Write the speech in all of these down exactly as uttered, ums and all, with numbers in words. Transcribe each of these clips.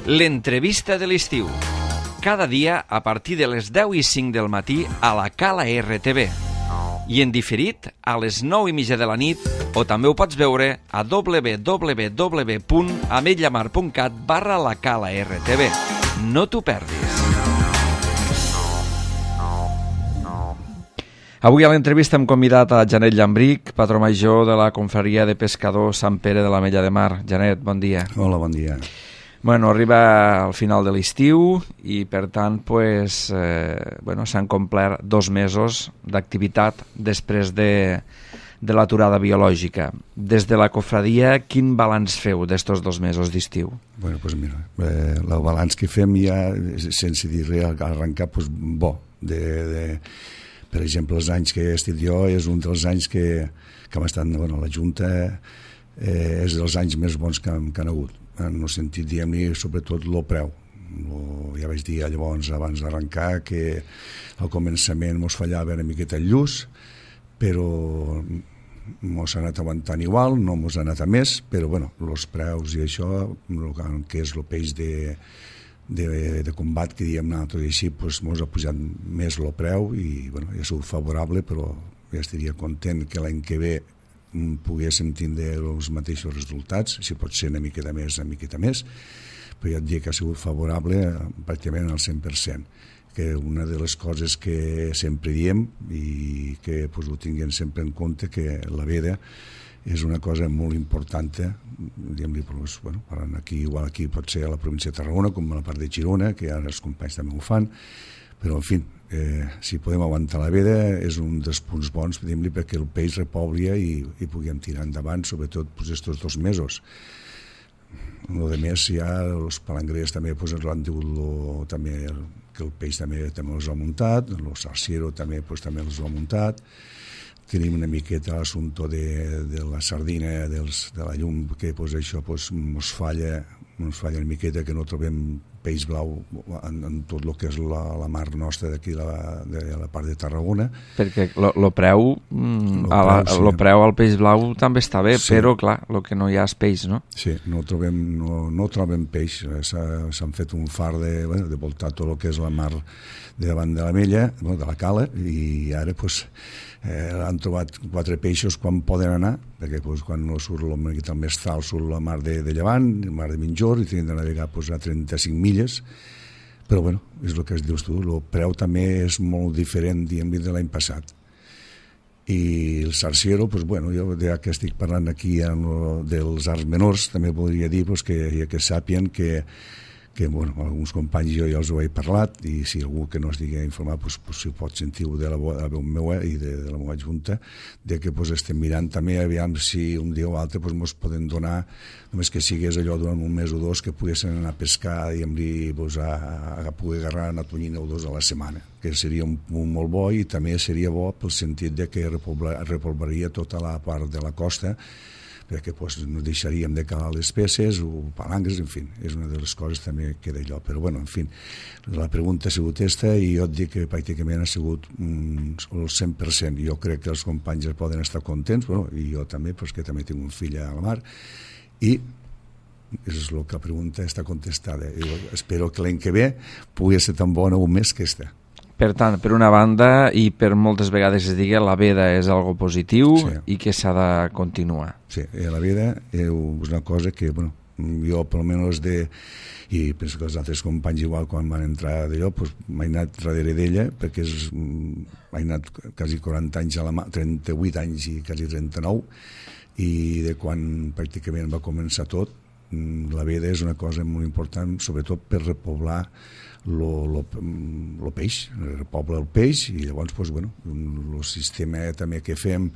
L'entrevista de l'estiu. Cada dia a partir de les deu i cinc del matí a la Cala R T V. I en diferit a les nou i mitja de la nit, o també ho pots veure a w w w punt ametlla mar punt cat barra la Cala R T V. No t'ho perdis. Avui a l'entrevista hem convidat a Janet Llambric, patró major de la confraria de pescadors Sant Pere de l'Ametlla de Mar. Janet, bon dia. Hola, bon dia. Bueno, arriba al final de l'estiu i, per tant, pues, eh, bueno, s'han complert dos mesos d'activitat després de, de l'aturada biològica. Des de la confraria, quin balanç feu d'estos dos mesos d'estiu? Bueno, pues mira, eh, el balanç que fem ja, sense dir res, arrencar, pues, bo. De, de, per exemple, els anys que he estat jo és un dels anys que, que hem estat, bueno, la Junta eh, és dels anys més bons que, que han hagut. En el sentit, diguem-ne, sobretot el preu. Lo, ja vaig dir llavors, abans d'arrencar, que al començament ens fallava una miqueta el lluç, però ens ha anat aguantant igual, no ens ha anat a més, però bueno, els preus i això, que és el peix de, de, de combat que diem nosaltres i així, doncs ens ha pujat més el preu i bueno, ja ha sigut favorable, però ja estaria content que l'any que ve poguéssim tindre els mateixos resultats, si pot ser una miqueta més, una miqueta més, però ja et dic que ha sigut favorable pràcticament al cent per cent, que una de les coses que sempre diem i que pues, ho tinguem sempre en compte, que la veda és una cosa molt important, diguem-li, pues, bueno, aquí, igual aquí pot ser a la província de Tarragona, com a la part de Girona, que ara els companys també ho fan, però en fi, eh, si podem aguantar la veda és un dels punts bons, diguem-li, perquè el peix repoblia i, i puguem tirar endavant, sobretot pues, estos dos mesos. El de més, ja els palangrers també pues, han dit lo, també, que el peix també, també els ha muntat, el sarsiero també, pues, també els ha muntat. Tenim una miqueta l'assumpte de, de la sardina, dels, de la llum, que pues, això pues, ens falla, ens falla una miqueta, que no trobem peix blau en, en tot el que és la, la mar nostra d'aquí, la, de la part de Tarragona. Perquè el preu, mm, lo preu, sí. lo preu al peix blau també està bé, sí. Però clar, el que no hi ha és peix, no? Sí, no trobem, no, no trobem peix. S'han fet un far de, bueno, de voltar tot el que és la mar de davant de l'Ametlla, bueno, de la Cala, i ara pues, eh, han trobat quatre peixos quan poden anar, perquè pues, quan no surt el mestral surt la mar de, de Llevant, la mar de Minjor, i tenen de navegar pues, a trenta-cinc milles, però bueno, és el que es dius tu, el preu també és molt diferent, diguem-li, de l'any passat. I el sarsiero, pues, bueno, jo ja que estic parlant aquí lo, dels arts menors, també podria dir pues, que, que sàpien que que bueno, alguns companys jo ja els ho he parlat i si algú que no estigui informat pues, pues, si pot sentir-ho de la, de la veu meva i de, de la meva junta, de que pues, estem mirant també aviam si un dia o altre pues, ens poden donar, només que sigués allò durant un mes o dos, que poguessin anar a pescar i pues, a, a, a poder agarrar una tonyina o dos a la setmana, que seria un punt molt bo i també seria bo pel sentit de que repoblaria tota la part de la costa, perquè pues, no deixaríem de calar les peces o palangres, en fi, és una de les coses també que d'allò, però bueno, en fi, la pregunta ha sigut aquesta i jo et dic que pràcticament ha sigut mm, el cent per cent. Jo crec que els companys poden estar contents, bueno, i jo també, pues, que també tinc un fill a la mar, i és el que la pregunta està contestada. Jo espero que l'any que ve pugui ser tan bona o més que aquesta. Per tant, per una banda, i per moltes vegades es digui, la veda és algo positiu, sí, i que s'ha de continuar. Sí, la veda és una cosa que, bueno, jo per almenys de... i penso que els altres companys igual quan van entrar d'allò, doncs m'he anat darrere d'ella, perquè és, m'he anat quasi quaranta anys a la mà, trenta-vuit anys i quasi trenta-nou, i de quan pràcticament va començar tot, la veda és una cosa molt important, sobretot per repoblar el peix, repobla el peix i llavors, pues, bueno, el sistema també que fem,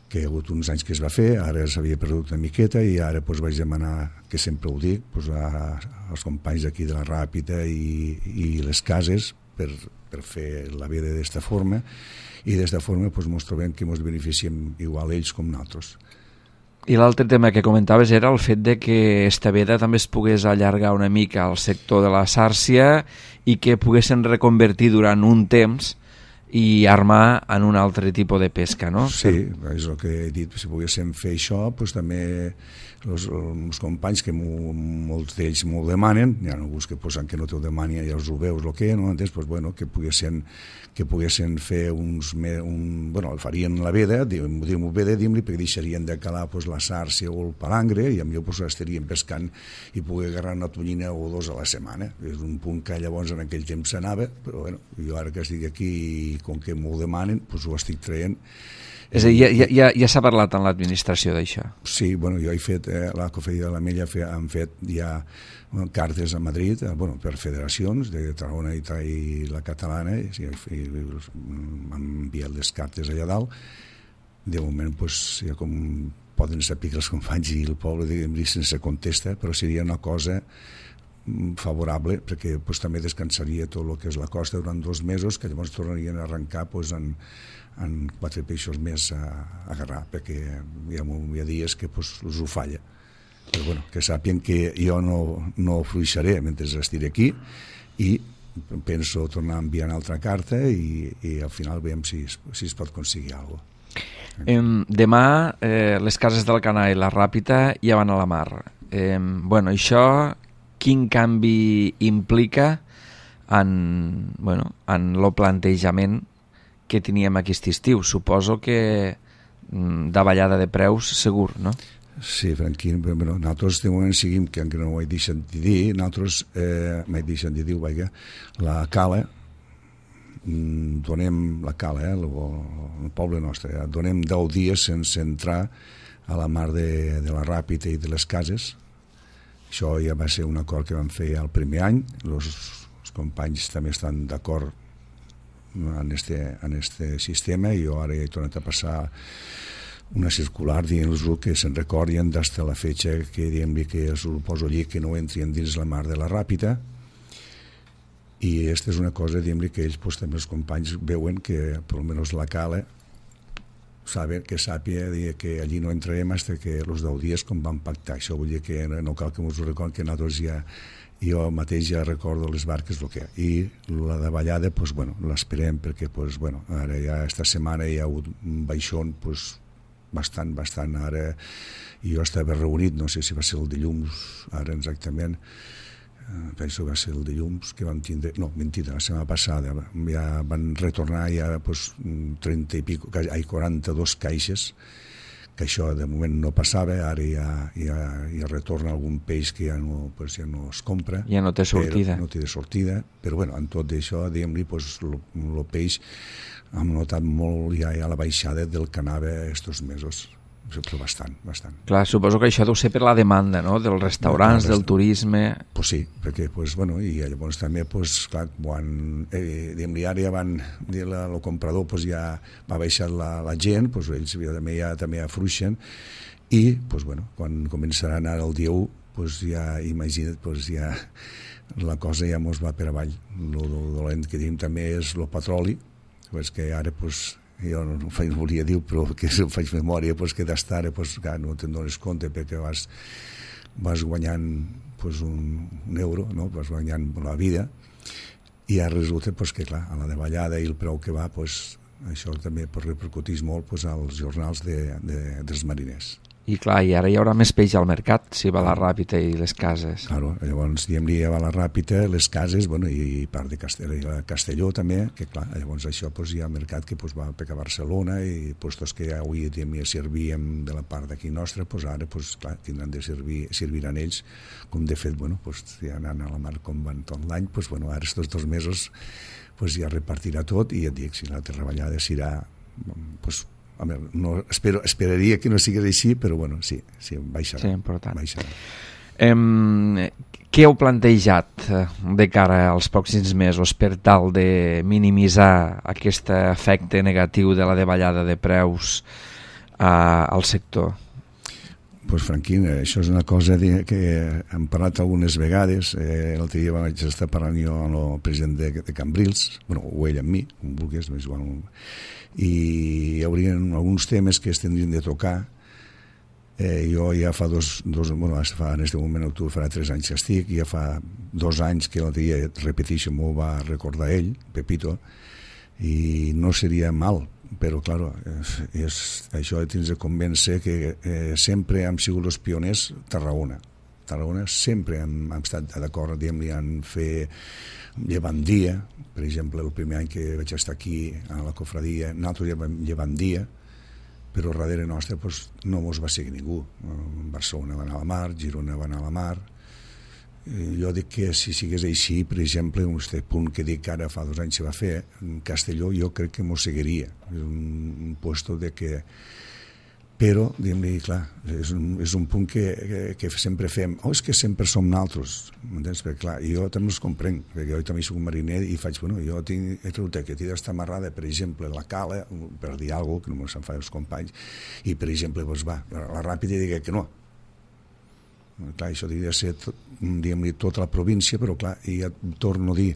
que hi ha hagut uns anys que es va fer, ara s'havia perdut una miqueta i ara pues, vaig demanar, que sempre ho dic, pues, a, als companys aquí de la Ràpita i, i les cases per, per fer la veda d'esta forma i d'esta forma pues, ens trobem que ens beneficiem igual ells com nosaltres. I l'altre tema que comentaves era el fet de que esta veda també es pogués allargar una mica al sector de la sàrcia i que poguessin reconvertir durant un temps i armar en un altre tipus de pesca, no? Sí, és el que he dit, si poguéssim fer això, doncs també els, els companys que mo, molts d'ells m'ho demanen, hi ha alguns que posen que no t'ho demanen, ja els ho veus el que, no? Entens? Doncs, bueno, que poguessin, que poguessin fer uns... Un, bueno, el farien la veda, diguem-ho veda, diguem-li, perquè deixarien de calar pues, la sàrcia o el palangre i amb jo pues, estarien pescant i poder agarrar una tonyina o dos a la setmana. És un punt que llavors en aquell temps s'anava, però bueno, jo ara que estic aquí i com que m'ho demanen, doncs ho estic traient. És a dir, ja, ja, ja s'ha parlat en l'administració d'això? Sí, bueno, jo he fet, eh, la Cofradía de l'Ametlla han fet ja bueno, cartes a Madrid, eh, bueno, per federacions de Tarragona i, i la catalana, i, i, i m'han enviat les cartes allà dalt. De moment, pues, ja com poden saber que els companys i el poble, diguem-li, sense contesta, però seria una cosa favorable, perquè pues, també descansaria tot el que és la costa durant dos mesos, que llavors tornarien a arrencar pues, en, en quatre peixos més a, a agarrar, perquè hi ha, hi ha dies que pues, els ho falla. Però bueno, que sàpien que jo no, no fluixaré mentre estiré aquí i penso tornar a enviar una altra carta i, i al final veiem si, si es pot aconseguir alguna cosa. Eh, demà eh, les cases del Canà i la Ràpita ja van a la mar. Eh, bueno, això quin canvi implica en, bueno, en el plantejament que teníem aquest estiu? Suposo que davallada de preus segur, no? Sí, Franquín, però bueno, nosaltres de moment seguim, que encara no ho he deixat de dir, nosaltres, eh, m'he deixat de dir, vaja, la cala, donem la cala, eh, el, el poble nostre, eh, donem deu dies sense entrar a la mar de, de la Ràpita i de les cases. Això ja va ser un acord que vam fer el primer any, els, els companys també estan d'acord en este, en este sistema i jo ara he tornat a passar una circular dient-los que se'n recordien des de la fetge que diem-li que es poso allí que no entrien dins la mar de la Ràpita i aquesta és una cosa diem-li que ells pues, també els companys veuen que per almenys la cala saben que sàpia que allí no entrarem fins que els deu dies com vam pactar. Això vull dir que no cal que ens ho recordin, que nosaltres ja, jo mateix ja recordo les barques el que i la davallada, pues, bueno, l'esperem perquè pues, bueno, ara ja esta setmana hi ha hagut un baixón pues, bastant, bastant. Ara jo estava reunit, no sé si va ser el dilluns, ara exactament, penso que va ser el dilluns que vam tindre, no, mentida, la setmana passada ja van retornar ja pues, trenta i pico, ai, quaranta-dos caixes, que això de moment no passava, ara ja, ja, ja retorna algun peix que ja no, pues, ja no es compra, ja no té sortida, no té sortida, però bueno, en tot això, diguem-li, pues, el peix hem notat molt ja, ja la baixada del que anava estos mesos, però bastant, bastant. Clar, suposo que això deu ser per la demanda, no?, dels restaurants, del turisme... Pues sí, perquè, pues, bueno, i llavors també, pues, clar, quan, eh, diguem-li, ara ja van, el comprador, pues, ja va baixar la, la gent, pues, ells també ja també afluixen, i, pues, bueno, quan començaran ara el dia u, pues, ja, imagina't, pues, ja la cosa ja mos va per avall. El dolent que tenim també és el petroli, pues, que ara, pues, jo no, no faig, volia dir, però que si faig memòria, pues, que d'estar, pues, clar, no te'n dones compte perquè vas, vas guanyant pues, un, un euro, no? Vas guanyant la vida i ara resulta pues, que clar, a la davallada i el preu que va, pues, això també pues, repercutís molt pues, als jornals de, de, dels mariners. I clar, i ara hi haurà més peix al mercat si va la Ràpita i les cases. Claro, llavors diem-li ja va la Ràpita, les cases, bueno, i part de Castelló, i Castelló també, que clar, llavors això pues, hi ha mercat que pues, va pegar a Barcelona i puestos que avui diem, ja servíem de la part d'aquí nostra, pues, ara pues, clar, tindran de servir, serviran ells, com de fet, bueno, pues, ja anant a la mar com van tot l'any, pues, bueno, ara estos dos mesos pues, ja repartirà tot i ja et dic, si la treballada serà pues, a veure, no, espero, esperaria que no sigués així, però bueno, sí, sí baixarà. Sí, important. Baixarà. Eh, què heu plantejat de cara als pròxims mesos per tal de minimitzar aquest efecte negatiu de la davallada de preus eh, al sector? Pues, Franquín, això és una cosa de, que hem parlat algunes vegades. Eh, l'altre dia vaig estar parlant jo amb el president de, de Cambrils, bueno, o ell amb mi, com vulguis, més igual, i hi hauria alguns temes que es tindrien de tocar. Eh, jo ja fa dos, dos bueno, fa, en aquest moment octubre farà tres anys que estic, i ja fa dos anys que l'altre dia, repeteixo, m'ho va recordar ell, Pepito, i no seria mal, però clar, és, és, això tens de convèncer que eh, sempre hem sigut els pioners Tarragona. Tarragona sempre hem, hem estat d'acord, diguem-li, en fer llevandia. Per exemple, el primer any que vaig estar aquí a la cofradia, nosaltres llevem llevandia, però darrere nostre pues, no mos va seguir ningú. Barcelona va anar a la mar, Girona va anar a la mar. Jo dic que si sigués així, per exemple, un punt que dic que ara fa dos anys se va fer, en Castelló jo crec que mos seguiria. És un, un puesto de que... Però, diguem-li, clar, és un, és un punt que, que, que sempre fem. Oh, és que sempre som naltros, m'entens? Perquè, clar, jo també els comprenc, perquè jo també soc un mariner i faig, bueno, jo tinc, he trobat que t'he d'estar amarrada, per exemple, la cala, per dir alguna cosa, que no se'n fan els companys, i, per exemple, doncs va, la ràpida digue que no. Clar, això hauria de ser, diguem-li, tota la província, però, clar, i ja torno a dir,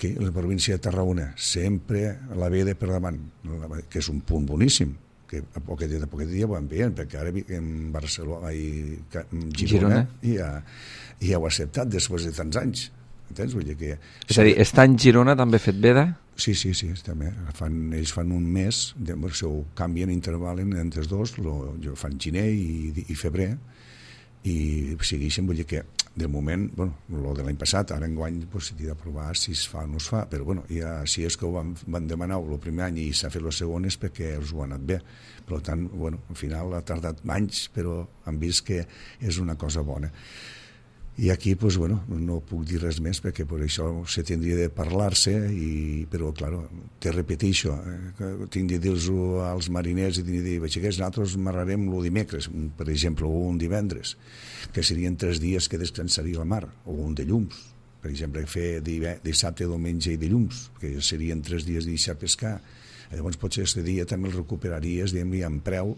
que la província de Tarragona sempre la ve de per davant, que és un punt boníssim, que a poquet dia, a poquet dia ho envien, perquè ara en Barcelona i en Girona, Girona. Ja, ja ho ha acceptat després de tants anys. Entens? Vull dir que... És a dir, està en Girona també fet veda? Sí, sí, sí, també. Fan, ells fan un mes, de, si ho canvien, intervalen entre els dos, lo, jo fan gener i, i febrer, i segueixen, vull dir que de moment, bueno, el de l'any passat, ara enguany pues, s'ha de provar si es fa o no es fa, però bueno, ja, si és que ho van, van demanar el primer any i s'ha fet el segon és perquè els ho ha anat bé. Per tant, bueno, al final ha tardat anys, però han vist que és una cosa bona. I aquí, pues, bueno, no puc dir res més perquè per això se tindria de parlar-se, i, però, clar, te repeteixo, eh, tinc de dir-ho als mariners i tinc de dir, batxequers, nosaltres marrarem el dimecres, per exemple, o un divendres, que serien tres dies que descansaria la mar, o un de llums, per exemple, fer dissabte, diumenge i dilluns, que serien tres dies de deixar pescar. Llavors, potser aquest dia també el recuperaries, diguem-li, en preu,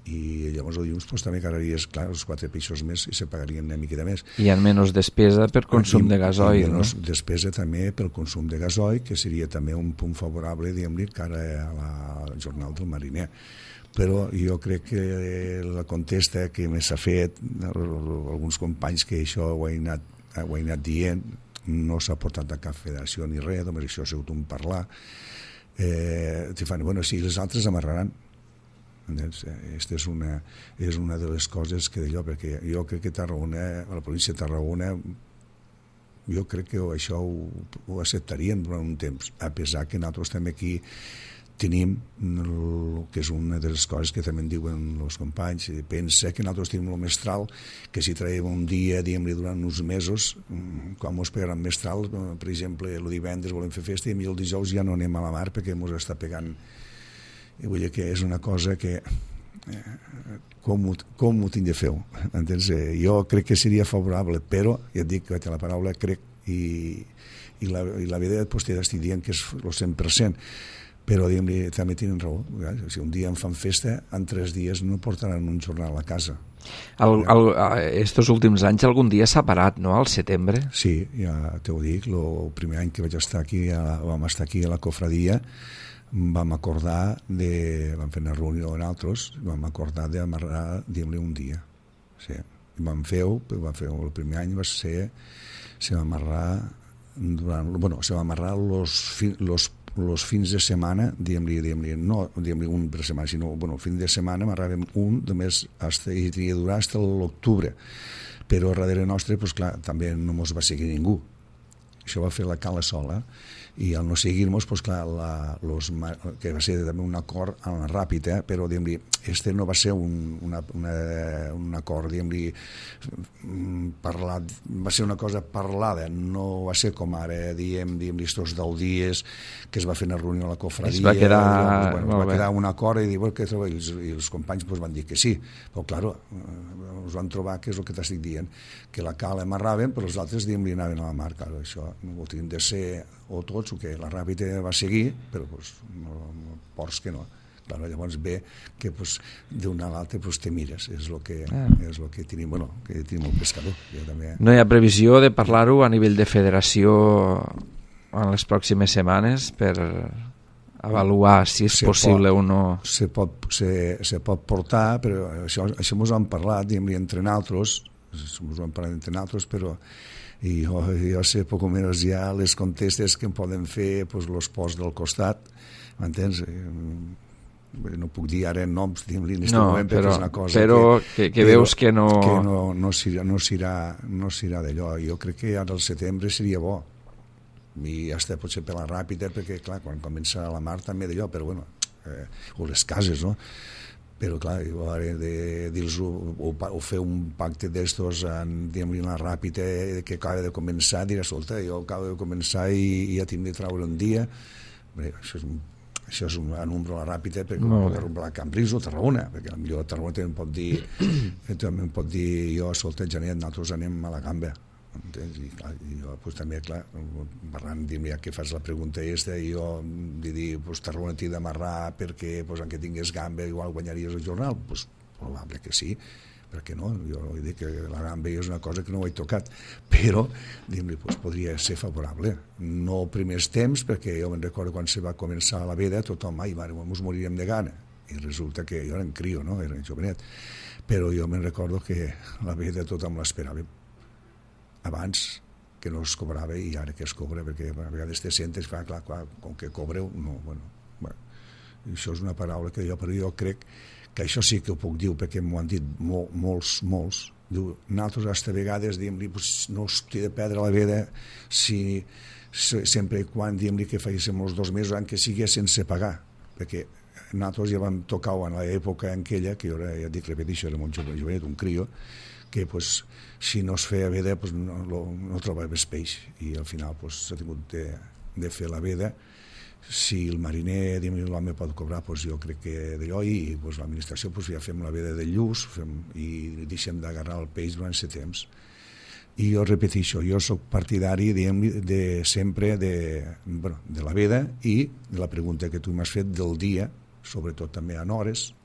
i llavors el dilluns pues, també carregaries, clar, els quatre peixos més i se pagarien una miqueta més. I en menys despesa per consum I, de gasoil, i menys no? Despesa també pel consum de gasoil, que seria també un punt favorable, diguem-li, cara a la, al jornal del mariner. Però jo crec que la contesta que més s'ha fet, alguns companys que això ho he anat, ho he anat dient, no s'ha portat a cap federació ni res, només això ha sigut un parlar, eh, te fan, bueno, sí, les altres amarraran. Aquesta és una, és una de les coses que d'allò, perquè jo crec que Tarragona, la província de Tarragona, jo crec que això ho, ho acceptarien durant un temps, a pesar que nosaltres també aquí tenim, el, que és una de les coses que també en diuen els companys, pensa que nosaltres tenim el mestral, que si traiem un dia, diguem-li, durant uns mesos, quan ens pegaran mestral, per exemple, el divendres volem fer festa i el dijous ja no anem a la mar perquè ens està pegant. I vull dir que és una cosa que eh, com, ho, com ho tinc de fer, entens? Jo crec que seria favorable, però ja et dic que la paraula crec i, i la, i la veritat pues, t'estic dient que és el cent per cent, però diguem-li, també tenen raó. Si un dia em fan festa, en tres dies no portaran un jornal a casa. El, el, estos últims anys algun dia s'ha parat, no?, al setembre? Sí, ja t'ho dic, el primer any que vaig estar aquí, a, vam estar aquí a la cofradia, vam acordar de, vam fer una reunió amb altres, vam acordar d'amarrar, diguem-li, un dia. Sí. Vam fer-ho, vam fer el primer any va ser, se va amarrar durant, bueno, se va amarrar los, los els fins de setmana, diguem-li, diguem-li, no diguem-li un per setmana, sinó, bueno, el fin de setmana amarràvem un, només hasta, i tenia de durar fins a l'octubre, però darrere nostre, pues, clar, també no mos va seguir ningú. Això va fer la Cala sola, i al no seguir-nos, pues, clar, la, los, que va ser també un acord en la ràpid, eh? Però diguem-li, este no va ser un, una, una, un acord, diguem-li, parlat, va ser una cosa parlada, no va ser com ara, diem, diguem-li, estos deu dies que es va fer una reunió a la cofradia, es va quedar, i, bueno, va quedar un acord i, bueno, que, i, els, i els companys pues, van dir que sí, però clar, us van trobar que és el que t'estic dient, que la cala amarraven, però els altres, diguem-li, anaven a la mar, clar, això no ho tinguin de ser o tots, o que la ràpida va seguir, però pues, no, no, ports que no. Clar, llavors ve que pues, d'una a l'altra pues, te mires, és el que, ah. és el que tenim, bueno, que tenim el pescador. Jo també... No hi ha previsió de parlar-ho a nivell de federació en les pròximes setmanes per avaluar si és se possible pot, o no? Se pot, se, se pot portar, però això, això ens ho han parlat, diguem-li, entre nosaltres, ens ho hem parlat entre nosaltres, però i jo, jo sé poc o menys ja les contestes que em poden fer pues, los posts del costat, m'entens? No puc dir ara noms, diguem-li, en aquest no, moment, perquè però, és una cosa però que, que, que però, veus que no... Que no, no s'irà no s'irà no s'irà d'allò. Jo crec que ara al setembre seria bo. I hasta potser per la ràpida, perquè, clar, quan comença la mar també d'allò, però bueno, eh, o les cases, no? Però, clar, jo ara de dir-los o, o fer un pacte d'estos en, diguem-li, la ràpida que acaba de començar, dir, escolta, jo acabo de començar i, i ja tinc de treure un dia. Bé, això és un això és una número ràpida perquè no, pot arrumblar Cambrils o Tarragona, perquè potser Tarragona també em pot dir també em pot dir jo, escolta, Janet, nosaltres anem a la gamba, entens? I, clar, i jo pues, també, clar, parlant, dir-me, ja que fas la pregunta aquesta, i jo de dir, pues, Tarragona t'hi d'amarrar perquè, pues, en què tingués gamba igual guanyaries el jornal, pues, probable que sí, perquè no, jo he dit que la gamba és una cosa que no ho he tocat, però dir-li, pues, podria ser favorable, no primers temps, perquè jo me'n recordo quan se va començar la veda, tothom, ai mare, ens moriríem de gana, i resulta que jo era en crio, no? Era jovenet, però jo me'n recordo que la veda tothom l'esperava abans que no es cobrava i ara que es cobra, perquè a vegades te sentes, clar, clar, clar, com que cobreu, no, bueno, bueno, això és una paraula que jo, però jo crec que això sí que ho puc dir, perquè m'ho han dit mol, molts, molts, diu, nosaltres hasta vegades diem-li, pues, no us té de perdre la veda si, sempre i quan diem-li que fèiem els dos mesos en què sigui sense pagar, perquè nosaltres ja vam tocar en l'època en aquella, que jo ara, ja dic, repeteixo, era un jovenet, un crio, que pues, si no es feia veda pues, no, no, no trobaves peix, i al final pues, s'ha tingut de, de fer la veda. Si el mariner l'home pot cobrar, doncs jo crec que d'allò, i doncs, l'administració doncs, ja fem la veda de lluç fem, i deixem d'agarrar el peix durant set temps. I jo repeteixo, jo sóc partidari diguem, de sempre de, bueno, de la veda i de la pregunta que tu m'has fet del dia, sobretot també en hores,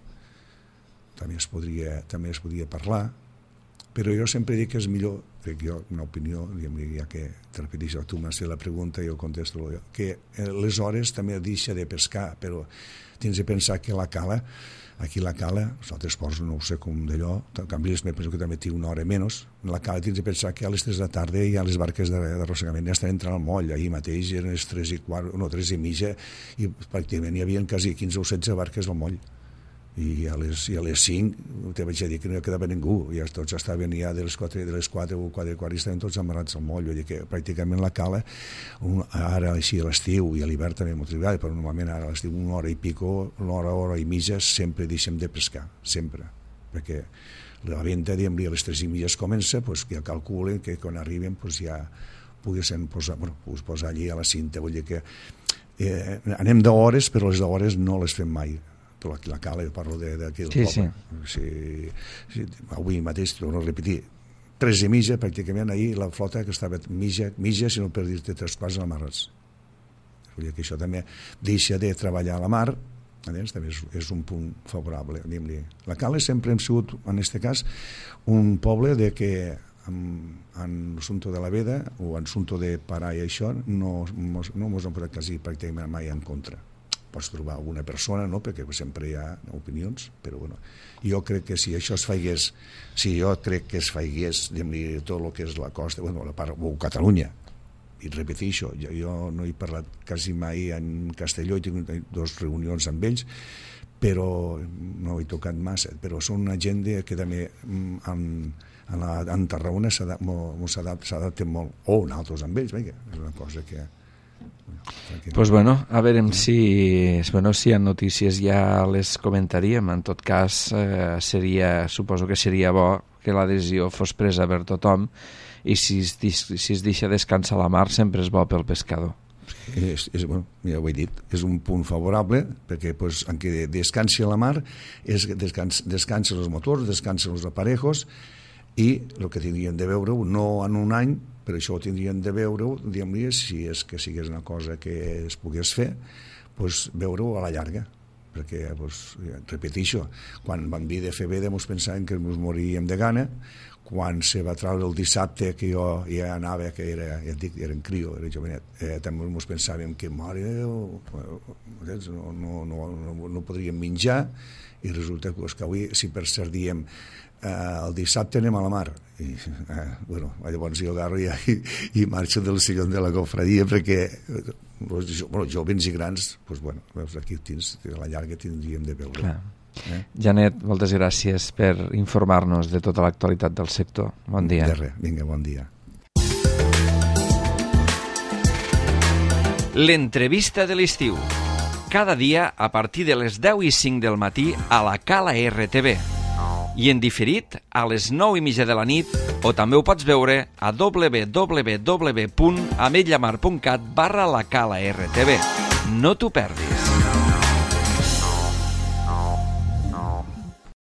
també es podria, també es podria parlar, però jo sempre dic que és millor, crec jo, una opinió, ja que te repeteixo, tu m'has fet la pregunta i jo contesto, que les hores també deixa de pescar, però tens de pensar que la cala, aquí la cala, els altres ports no ho sé com d'allò, en canvi me penso que també té una hora menys, la cala tens de pensar que a les tres de la tarda ja les barques d'arrossegament ja estan entrant al moll, ahir mateix eren les tres i quart, no, tres i mitja, i pràcticament hi havia quasi quinze o setze barques al moll. I a les, i a les cinc te vaig dir que no quedava ningú, ja tots estaven ja de les quatre, de les quatre o quatre i quart i estaven tots amarrats al moll, vull dir que pràcticament la cala un, ara així a l'estiu i a l'hivern també molt tribal, però normalment ara a l'estiu una hora i pico, una hora, hora i mitja sempre deixem de pescar, sempre, perquè la venda, diguem-li, a les tres i mitja es comença, doncs ja calculen que quan arriben doncs ja poguessin posar, bueno, posar allí a la cinta, vull dir que eh, anem d'hores, però les d'hores no les fem mai, però aquí la cala, jo parlo d'aquí del sí, poble. Sí. Si, si, avui mateix, torno a repetir, tres i mitja, pràcticament ahir la flota que estava mitja, mitja si no per dir-te tres quarts amarrats. Vull dir que això també deixa de treballar a la mar, doncs, també és, és un punt favorable. La cala sempre hem sigut, en aquest cas, un poble de que en, en l'assumpte de la veda o en l'assumpte de parar i això no ens no hem posat quasi pràcticament mai en contra. Pots trobar alguna persona, no? Perquè sempre hi ha opinions, però bueno, jo crec que si això es faigués, si jo crec que es faigués, diguem-li, tot el que és la costa, bueno, la part, o Catalunya, i repeteixo, jo, jo no he parlat quasi mai en Castelló, he tingut dues reunions amb ells, però no he tocat massa, però són una gent que també en, en, la, en Tarragona s'adapten molt, o nosaltres amb ells, vinga, és una cosa que... Pues bueno, a veure si, bueno, si hi ha notícies ja les comentaríem. En tot cas, eh, seria, suposo que seria bo que la decisió fos presa per tothom i si es, si es deixa descansar la mar sempre és bo pel pescador. És, és, bueno, ja ho he dit, és un punt favorable perquè pues, en què descansi la mar és descans, descansen els motors, descansen els aparejos i el que tindrien de veure no en un any, però això ho tindrien de veure-ho, diguem-li, si és que sigués una cosa que es pogués fer, doncs veure-ho a la llarga, perquè, doncs, repeteixo, quan vam dir de fer veda ens pensàvem que ens moriríem de gana, quan se va treure el dissabte que jo ja anava, que era, ja et dic, era en crio, era jovenet, eh, també ens pensàvem que mare, no, no, no, no, no podríem menjar, i resulta que avui, si per cert diem eh, el dissabte anem a la mar. I, eh, bueno, llavors jo agarro i, i marxo del sillón de la cofradia perquè els jo, bueno, jovens i grans, doncs, bueno, veus, aquí tens, a la llarga tindríem de veure. Clar. Eh? Janet, moltes gràcies per informar-nos de tota l'actualitat del sector. Bon dia. De res, vinga, bon dia. L'entrevista de l'estiu. Cada dia a partir de les deu i cinc del matí a la Cala R T V. I en diferit a les nou i mitja de la nit, o també ho pots veure a w w w punt ametlla mar punt cat barra la Cala R T V. No t'ho perdis.